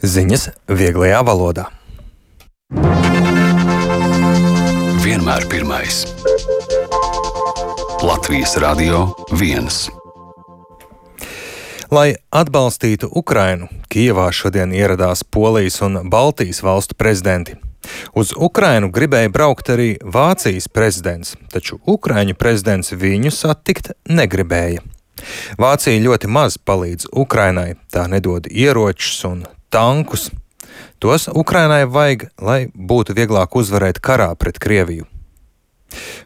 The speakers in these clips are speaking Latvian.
Ziņas vieglajā valodā. Vienmēr pirmais. Latvijas Radio 1. Lai atbalstītu Ukrainu, Kijevā šodien ieradās Polijas un Baltijas valstu prezidenti. Uz Ukrainu gribēja braukt arī Vācijas prezidents, taču Ukraiņu prezidents viņu satikt negribēja. Vācija ļoti maz palīdz Ukrainai, tā nedod ieročus un tankus. Tos Ukrainai vajag, lai būtu vieglāk uzvarēt karā pret Krieviju.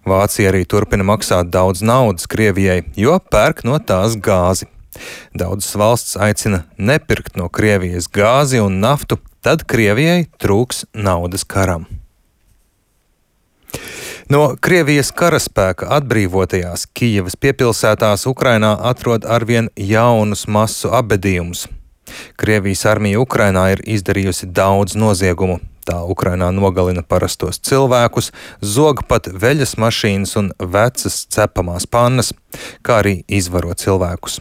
Vācija arī turpina maksāt daudz naudas Krievijai, jo pērk no tās gāzi. Daudzas valsts aicina nepirkt no Krievijas gāzi un naftu, tad Krievijai trūks naudas karam. No Krievijas karaspēka atbrīvotajās Kijevas piepilsētās Ukrainā atrod arvien jaunus masu apbedījumus. Krievijas armija Ukrainā ir izdarījusi daudz noziegumu. Tā Ukrainā nogalina parastos cilvēkus, zog pat veļas mašīnas un vecas cepamās pannas, kā arī izvaro cilvēkus.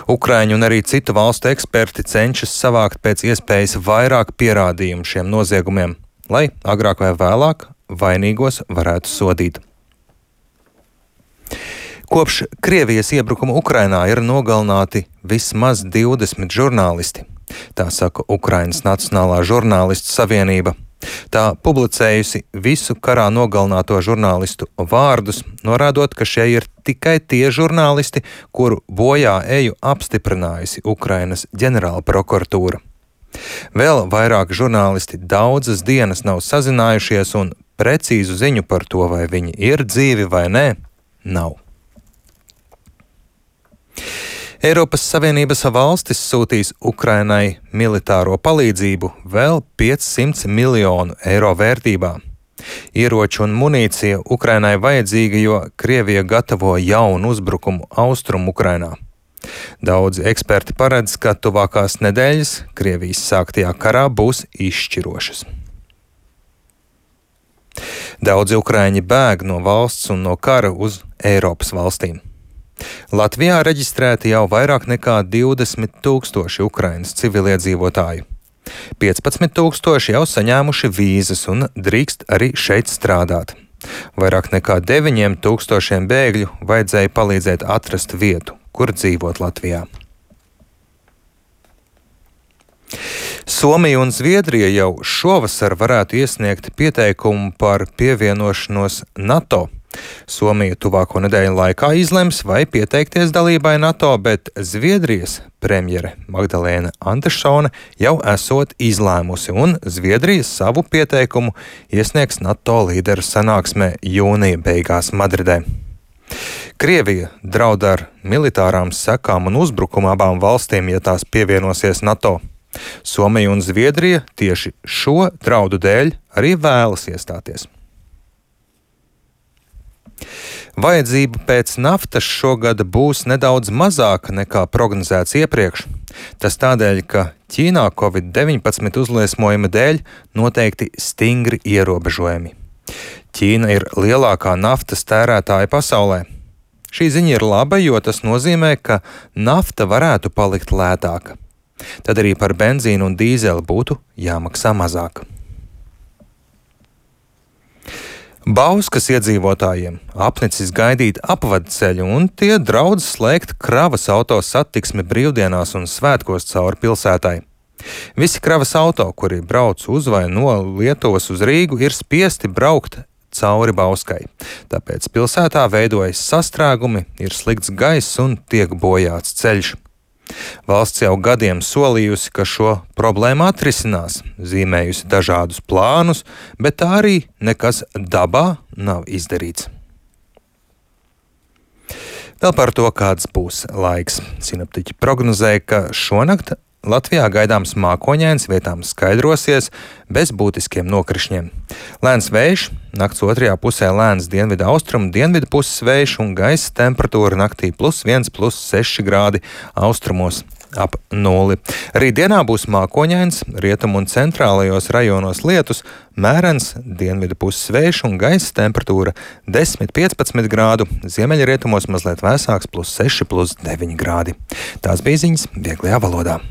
Ukraiņu un arī citu valstu eksperti cenšas savākt pēc iespējas vairāk pierādījumu šiem noziegumiem, lai agrāk vai vēlāk vainīgos varētu sodīt. Kopš Krievijas iebrukuma Ukrainā ir nogalināti vismaz 20 žurnālisti. Tā saka Ukrainas Nacionālā žurnālistu savienība. Tā publicējusi visu karā nogalināto žurnālistu vārdus, norādot, ka šie ir tikai tie žurnālisti, kuru bojā eju apstiprinājusi Ukrainas ģenerāla prokuratūra. Vēl vairāk žurnālisti daudzas dienas nav sazinājušies un precīzu ziņu par to, vai viņi ir dzīvi vai nē, nav. Eiropas Savienības valstis sūtīs Ukrainai militāro palīdzību vēl 500 miljonu eiro vērtībā. Ieroči un munīcija Ukrainai vajadzīga, jo Krievija gatavo jaunu uzbrukumu austrumu Ukrainā. Daudzi eksperti paredz, ka tuvākās nedēļas Krievijas sāktajā karā būs izšķirošas. Daudzi ukraiņi bēg no valsts un no kara uz Eiropas valstīm. Latvijā reģistrēti jau vairāk nekā 20 000 Ukrainas civiliedzīvotāju. 15 000 jau saņēmuši vīzas un drīkst arī šeit strādāt. Vairāk nekā 9 000 bēgļu vajadzēja palīdzēt atrast vietu, kur dzīvot Latvijā. Somija un Zviedrija jau šovasar varētu iesniegt pieteikumu par pievienošanos NATO. Somija tuvāko nedēļu laikā izlems, vai pieteikties dalībai NATO, bet Zviedrijas premjere Magdalēna Andersone jau esot izlēmusi, un Zviedrija savu pieteikumu iesniegs NATO līderu sanāksmē jūnija beigās Madridē. Krievija draud ar militārām sekām un uzbrukumu abām valstīm, ja tās pievienosies NATO. Somija un Zviedrija tieši šo draudu dēļ arī vēlas iestāties. Vajadzība pēc naftas šogad būs nedaudz mazāka nekā prognozēts iepriekš. Tas tādēļ, ka Ķīnā Covid-19 uzliesmojuma dēļ noteikti stingri ierobežojumi. Ķīna ir lielākā naftas tērētāja pasaulē. Šī ziņa ir laba, jo tas nozīmē, ka nafta varētu palikt lētāka. Tad arī par benzīnu un dīzeli būtu jāmaksā mazāk. Bauskas iedzīvotājiem apnicis gaidīt apvadceļu, un tie draudz slēgt kravas auto satiksmi brīvdienās un svētkos cauri pilsētai. Visi kravas auto, kuri brauc uz vai no Lietuvas uz Rīgu, ir spiesti braukt cauri Bauskai. Tāpēc pilsētā veidojas sastrēgumi, ir slikts gaiss un tiek bojāts ceļš. Valsts jau gadiem solījusi, ka šo problēmu atrisinās, zīmējusi dažādus plānus, bet tā arī nekas dabā nav izdarīts. Vēl par to, kāds būs laiks. Sinoptiķi prognozēja, ka šonakt Latvijā gaidāms mākoņains, vietām skaidrosies, bez būtiskiem nokrišņiem. Lēns vējš, nakts otrajā pusē lēns dienvidu austrumu, dienvidu puses vējš un gaisa temperatūra naktī +1, +6 grādi, austrumos ap 0. Rītdienā būs mākoņains, rietumu un centrālajos rajonos lietus, mērens dienvidu puses vējš un gaisa temperatūra 10–15 grādu, ziemeļrietumos mazliet vēsāks +6–9 grādi. Tās bija ziņas vieglajā valodā.